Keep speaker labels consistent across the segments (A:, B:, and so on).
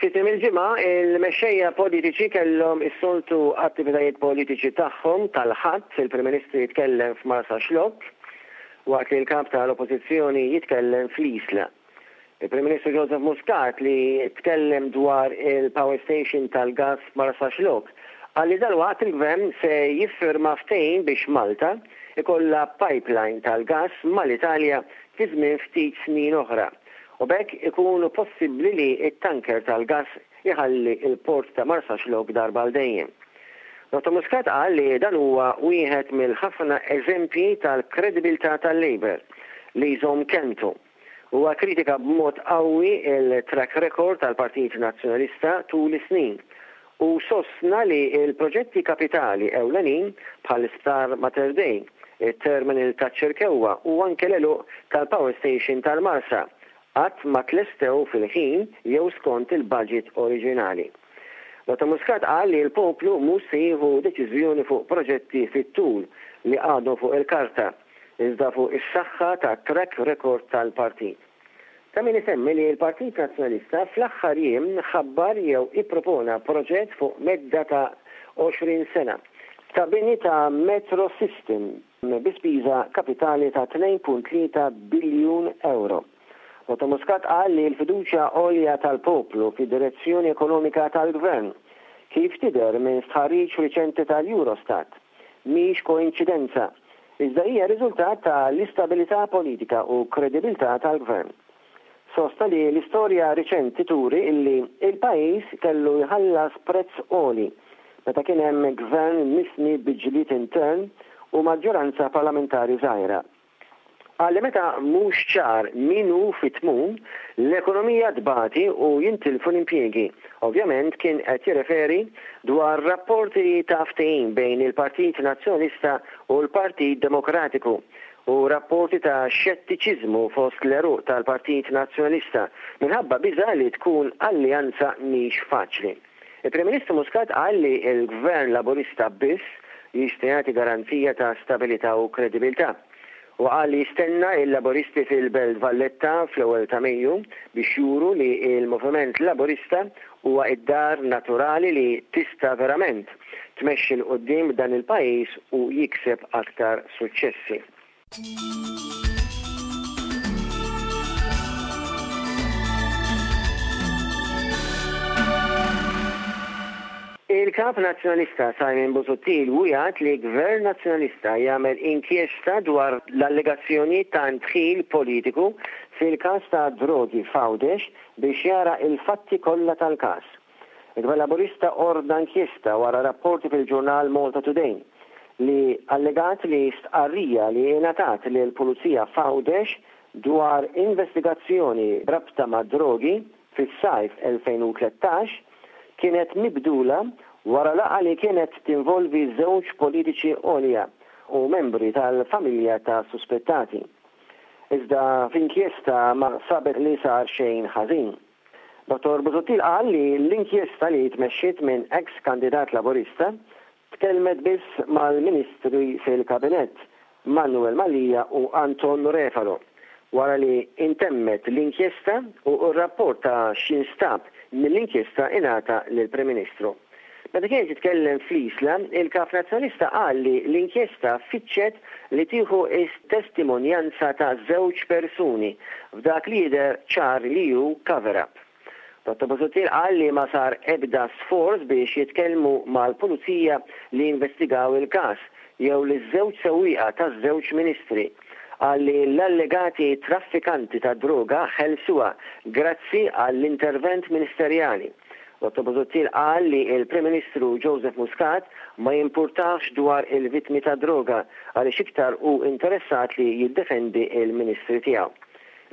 A: Fi tmiem il-ġimgħa, il-mexxejja politiċi kellhom is-soltu attivitajiet politiċi tagħhom tal-Ħadd, il-Prim Ministru jitkellem f'Marsaxlokk, waqt li l-Kap tal-Oppożizzjoni jitkellem fl-Isla. Il-Prim Ministru Joseph Muscat li tkellem dwar il-power station tal-gass f'Marsaxlokk qal li dalwaqt il-Gvern se jiffirma ftehim biex Malta jkollha pipeline tal-gass mal-Italja fi żmien ftit snin oħra u b'hekk ikun possibbli li t-tanker tal-gass iħalli l-port ta' Marsaxlokk darba għal dejjem. Dottor Muscat qal li dan huwa wieħed mill-ħafna eżempji tal-kredibilità tal-Labour li jżomm kelmtu. Huwa kkritika b'mod qawwi l-track record tal-Partit Nazzjonalista tul is-snin u sostna li l-proġetti kapitali ewlenin bħall-Isptar Mater Dei, it-terminal taċ-Ċirkewwa u anke l-għeluq tal-power station tal-Marsa qatt ma tlestew fil-ħin jew skont il-budget oriġinali. Dottor Muscat qal li l-poplu mhux se jieħu deċiżjoni fuq proġetti fit-tul li għadhom fuq il-karta iżda fuq is-saħħa tat-track record tal-partit. Ta' min isemmi li l-Partit Nazzjonalista fl-aħħar jiem ħabbar jew ippropona proġett fuq medda ta' 20 sena ta' bini ta' metro system bi spiża kapitali ta' 2.3 biljun ewro. Dottor Muscat qal li l-fiduċja għolja tal-poplu fid-direzzjoni ekonomika tal-Gvern, kif tidher minn stħarriġ riċenti tal-Eurostat, mhix koinċidenza, iżda hija riżultat ta' l-istabilità politika u kredibilità tal-Gvern. Sostna li l-istorja riċenti turi illi l-pajjiż kellu jħallas prezz għoli meta kien hemm Gvern mifni bi ġlied intern u maġġoranza parlamentari żgħira. Qal li meta mhux ċar min hu fit-tmun, l-ekonomija tbati u jintilfu l-impjiegi. Ovvjament kien qed jirreferi dwar rapporti ta' ftehim bejn il-Partit Nazzjonalista u l-Partit Demokratiku u rapporti ta' xettiċiżmu fost l-għeruq tal-Partit Nazzjonalista minħabba biża' li tkun alleanza mhix faċli. Il-Prim Ministru Muscat qal li l-Gvern Laburista biss jista' jagħti garanzija ta' stabilità u kredibilità. Huwa qal li jistenna l-Laburisti fil-Belt Valletta fl-ewwel ta' Mejju biex juru li l-Moviment Laburista huwa d-dar naturali li tista' verament tmexxi 'l quddiem dan il-pajjiż u jikseb aktar suċċessi. Il-Kap Nazzjonalista Simon Busuttil wiegħed li Gvern Nazzjonalista jagħmel inkjesta dwar l-allegazzjonijiet ta' ndħil politiku fil-każ ta' drogi f'Għawdex biex jara l-fatti kollha tal-każ. Il-Gvern Laburista ordna inkjesta wara rapporti fil-ġurnal Malta Today li allegat li stqarrija li ingħatat lill-Pulizija f'Għawdex dwar investigazzjoni b'rabta mad-drogi fis-sajf 2013 kienet mibdula wara laqgħa li kienet tinvolvi żewġ politiċi għolja u membri tal-familja ta' suspettati. Iżda f'inkjesta ma sabet li sar xejn ħażin. Dottor Busuttil qal li l-inkjesta li tmexxiet minn eks kandidat Laburista tkellmet biss mal-Ministri fil-Kabinett, Manuel Mallia u Anton Refalo, wara li intemmet l-inkjesta u r-rapport ta' x'instab mill-inkjesta ingħata lill-Prim Ministru. Meta kien qed jitkellem fl-Isla, il-Kap Nazzjonalista qal li l-inkjesta fittxet li tieħu s-testimonjanza ta' żewġ persuni f'dak li jidher ċar li hu cover-up. Dottor Busuttil qal li ma sar ebda sforz biex jitkellmu mal-Pulizija li investigaw il-każ jew liż-żewġ sewwieqa taż-żewġ Ministri. Qal li l-allegati traffikanti tad-droga ħelsuha grazzi għall-intervent ministerjali. Dottor Busuttil qal li l-Prim Ministru Joseph Muscat ma jimpurtahx dwar il-vittmi tad-droga għaliex iktar hu interessat li jiddefendi l-Ministri tiegħu.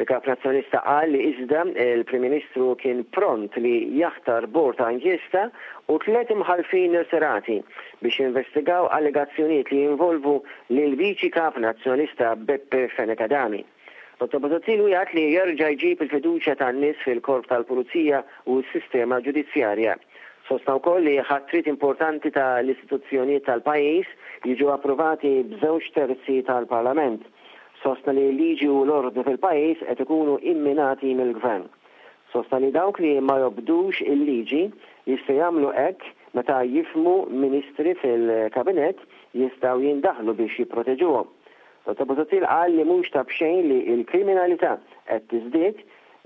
A: Il-Kap Nazzjonalista qal li iżda l-Prim Ministru kien pront li jaħtar bord ta' inkjesta u tlett imħallfin irtirati biex jinvestigaw allegazzjonijiet li jinvolvu lill-Viċi Kap Nazzjonalista Beppe Fenech Adami. Dottor Busuttil wiegħed li jerġa' jġib il-fiduċja tan-nies fil-Korp tal-Pulizija u s-sistema ġudizzjarja. Sostna wkoll li ħatriet importanti ta' l-istituzzjonijiet tal-pajjiż jiġu approvati b'żewġ terzi tal-Parlament. Sostna li l-liġi u l-ordni fil-pajjiż qed ikunu imminati mill-Gvern. Sostna li dawk li ma jobdux il-liġi jistgħu jagħmlu hekk meta jifhmu ministri fil-Kabinett jistgħu jindaħlu biex jipproteġuhom. Dottor Busuttil qal li mhux ta' b'xejn li l-kriminalità qed tiżdied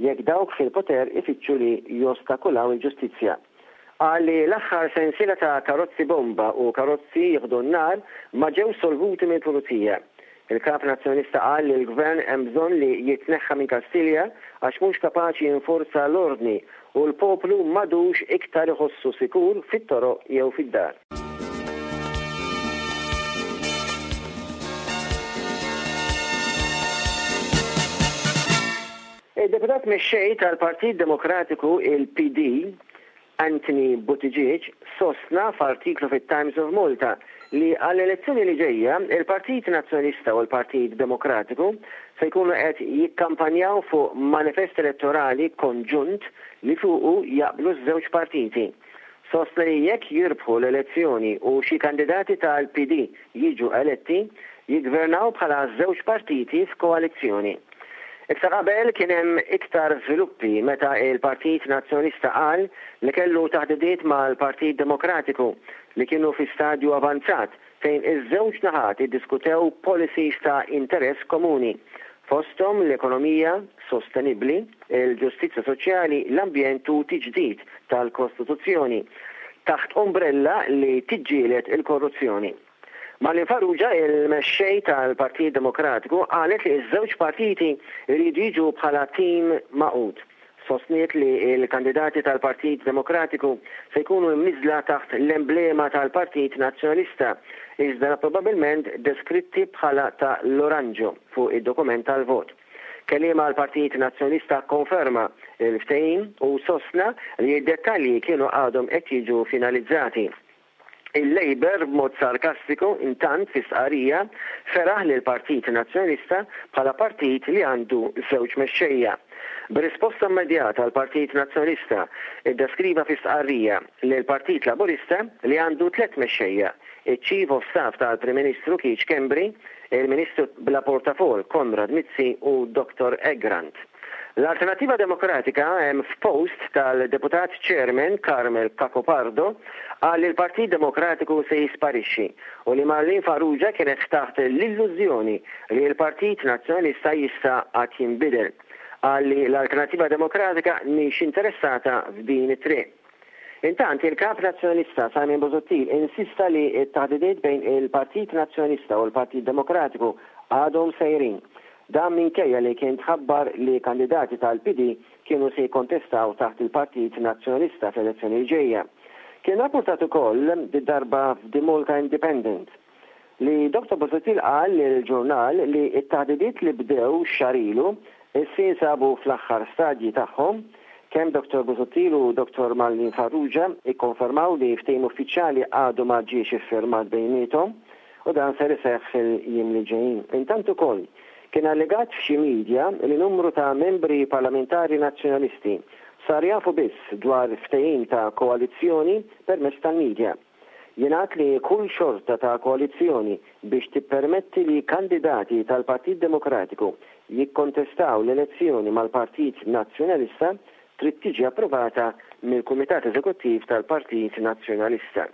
A: jekk dawk fil-poter ifittxu li jostakulaw il-ġustizzja. Qal li l-aħħar sensiela ta' karozzi bomba u karozzi jieħdu n-nar ma ġewx solvuti mill-Pulizija. Il-Kap Nazzjonalista qal li l-Gvern hemm bżonn li jitneħħa minn Kastilja għax mhux kapaċi jinforza l-ordni u l-poplu m'għadux iktar iħossu sikur fit-toroq jew fid-dar. Id-Deputat Mexxej tal-Partit Demokratiku, il-PD, Anthony Buttigieg sostna f'artiklu fit-Times of Malta li għall-elezzjoni li ġejja, il-Partit Nazzjonalista u l-Partit Demokratiku se jkunu qed jikkampanjaw fuq manifest elettorali konġunt li fuqu jaqblu ż-żewġ partiti. Sostna li jekk jirbħu l-elezzjoni u xi kandidati tal-PD jiġu eletti, jiggvernaw bħala żewġ partiti f'koalizzjoni. Iktar qabel kien hemm iktar żviluppi meta l-Partit Nazzjonalista qal li kellu taħdidiet mal-Partit Demokratiku li kienu fi stadju avanzat fejn iż-żewġ naħat iddiskutew policies ta' interess komuni, fosthom l-ekonomija sostenibbli, il-ġustizzja soċjali, l-ambjent u tiġdid tal-Kostituzzjoni, taħt umbrella li tiġġieled il-korruzzjoni. Marlene Farrugia, il-Mexxej tal-Partit Demokratiku, qalet li ż-żewġ partiti jridu jiġu bħala tim magħqud. Sostniet li l-kandidati tal-Partit Demokratiku se jkunu mniżżla taħt l-emblema tal-Partit Nazzjonalista, iżda probabbilment deskritti bħala ta' l-oranġo fuq id-dokument tal-vot. Kelliem għall-Partit Nazzjonalista kkonferma l-ftehim u sostna li d-dettalji kienu għadhom qed jiġu finalizzati. Il-Labour b'mod sarkastiku intant fi stqarrija feraħ lill-Partit Nazzjonalista bħala partit li għandu żewġ mexxejja. B'risposta immedjata l-Partit Nazzjonalista ddeskriva fi stqarrija lill-Partit Laburista li għandu tlett mexxejja, iċ-Chief of Staff tal-Prim Ministru Keith Schembri, il-Ministru bla portafoll Konrad Mizzi u Dottor Egrant. L-Alternattiva Demokratika hemm f'post tal-Deputat Chairman Carmel Cacopardo qal li l-Partit Demokratiku se jisparixxi u li Marlene Farrugia kienet taħt l-illużjoni li l-Partit Nazzjonalista jista' għad jinbidel. Qal li l-Alternattiva Demokratika mhix interessata f'din it-triq. Intant, il-Kap Nazzjonalista Simon Busuttil insista li t-taħdidiet bejn il-Partit Nazzjonalista u l-Partit Demokratiku għadhom sejrin. Dan minkejja li kien tħabbar li kandidati tal-PD kienu se jikkontestaw taħt il-Partit Nazzjonalista fl-elezzjoni li ġejja. Kien rappurtat ukoll, did-darba f'The Malta Independent, li Dottor Busuttil qal lill-ġurnal li t-taħdidiet li bdew xahar ilu issa jinsabu fl-aħħar stadji tagħhom. Kemm Dottor Busuttil u Dottor Marlene Farrugia ikkonfermaw li ftehim uffiċjali għadu ma ġiex iffirmat bejniethom u dan ser iseħħ fil-jiem li ġejjin. Intant ukoll, kien allegat f'xi media li numru ta' membri parlamentari Nazzjonalisti sar jafu biss dwar ftehim ta' koalizzjoni permezz tal-media. Jingħad li kull xorta ta' koalizzjoni biex tippermetti li kandidati tal-Partit Demokratiku jikkontestaw l-elezzjoni mal-Partit Nazzjonalista trid tiġi approvata mill-Kumitat Eżekuttiv tal-Partit Nazzjonalista.